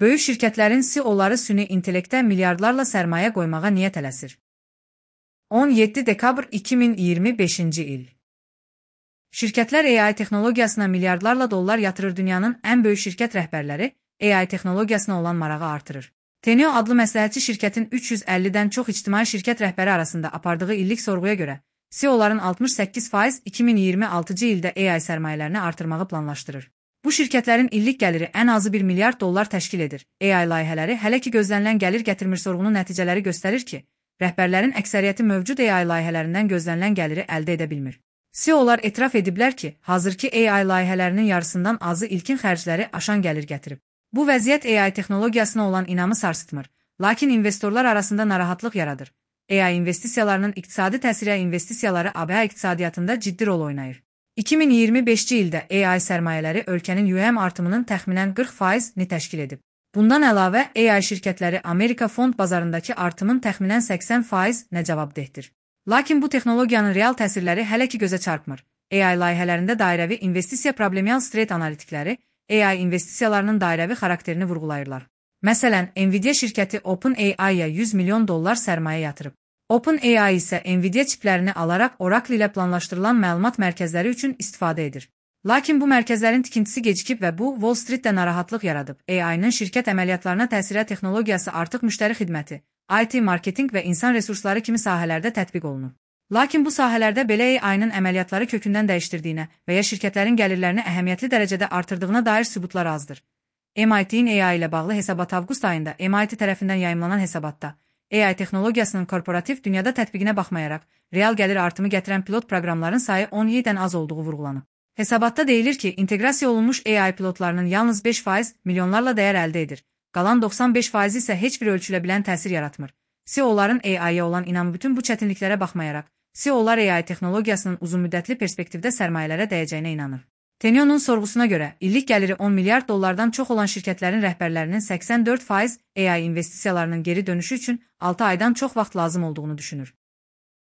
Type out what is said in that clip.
Böyük şirkətlərin CEO-ları süni intellektə milyardlarla sərmayə qoymağa niyyət eləsir. 17 dekabr 2025-ci il. Şirkətlər AI texnologiyasına milyardlarla dollar yatırır. Dünyanın ən böyük şirkət rəhbərləri AI texnologiyasına olan marağı artırır. Teneo adlı məsləhətçi şirkətin 350-dən çox ictimai şirkət rəhbəri arasında apardığı illik sorğuya görə CEO-ların 68% 2026-cı ildə AI sərmayələrini artırmağı planlaşdırır. Bu şirkətlərin illik gəliri ən azı $1 milyard təşkil edir. AI layihələri hələ ki gözlənilən gəlir gətirmir. Sorğunun nəticələri göstərir ki, rəhbərlərin əksəriyyəti mövcud AI layihələrindən gözlənilən gəliri əldə edə bilmir. CEO-lar etiraf ediblər ki, hazırki AI layihələrinin yarısından azı ilkin xərcləri aşan gəlir gətirib. Bu vəziyyət AI texnologiyasına olan inamı sarsıtmır, lakin investorlar arasında narahatlıq yaradır. AI investisiyalarının iqtisadi təsiri investisiyaları ABŞ iqtisadiyyatında ciddi rol oynayır. 2025-ci ildə AI sərmayələri ölkənin UM artımının təxminən 40%-ni təşkil edib. Bundan əlavə, AI şirkətləri Amerika fond bazarındakı artımın təxminən 80%-nə cavabdehdir. Lakin bu texnologiyanın real təsirləri hələ ki gözə çarpmır. AI layihələrində dairəvi investisiya problemial strate analitikləri AI investisiyalarının dairəvi xarakterini vurğulayırlar. Məsələn, Nvidia şirkəti OpenAI-ya $100 milyon sərmayə yatırıb. OpenAI isə Nvidia çiplərini alaraq Oracle ilə planlaşdırılan məlumat mərkəzləri üçün istifadə edir. Lakin bu mərkəzlərin tikintisi gecikib və bu Wall Street-də narahatlıq yaradıb. AI-nın şirkət əməliyyatlarına təsirə texnologiyası artıq müştəri xidməti, IT marketinq və insan resursları kimi sahələrdə tətbiq olunur. Lakin bu sahələrdə belə AI-nın əməliyyatları kökündən dəyişdirdiyinə və ya şirkətlərin gəlirlərini əhəmiyyətli dərəcədə artırdığına dair sübutlar azdır. MIT-in AI ilə bağlı hesabat avqust ayında MIT tərəfindən yayımlanan hesabatda AI texnologiyasının korporativ dünyada tətbiqinə baxmayaraq, real gəlir artımı gətirən pilot proqramların sayı 17-dən az olduğu vurğulanıb. Hesabatda deyilir ki, inteqrasiya olunmuş AI pilotlarının yalnız 5% milyonlarla dəyər əldə edir, qalan 95% isə heç bir ölçülə bilən təsir yaratmır. CEO-ların AI-ya olan inamı bütün bu çətinliklərə baxmayaraq, CEO-lar AI texnologiyasının uzunmüddətli perspektivdə sərmayələrə dəyəcəyinə inanır. Teneo'nun sorğusuna görə, illik gəliri $10 milyard çox olan şirkətlərin rəhbərlərinin 84% AI investisiyalarının geri dönüşü üçün 6 aydan çox vaxt lazım olduğunu düşünür.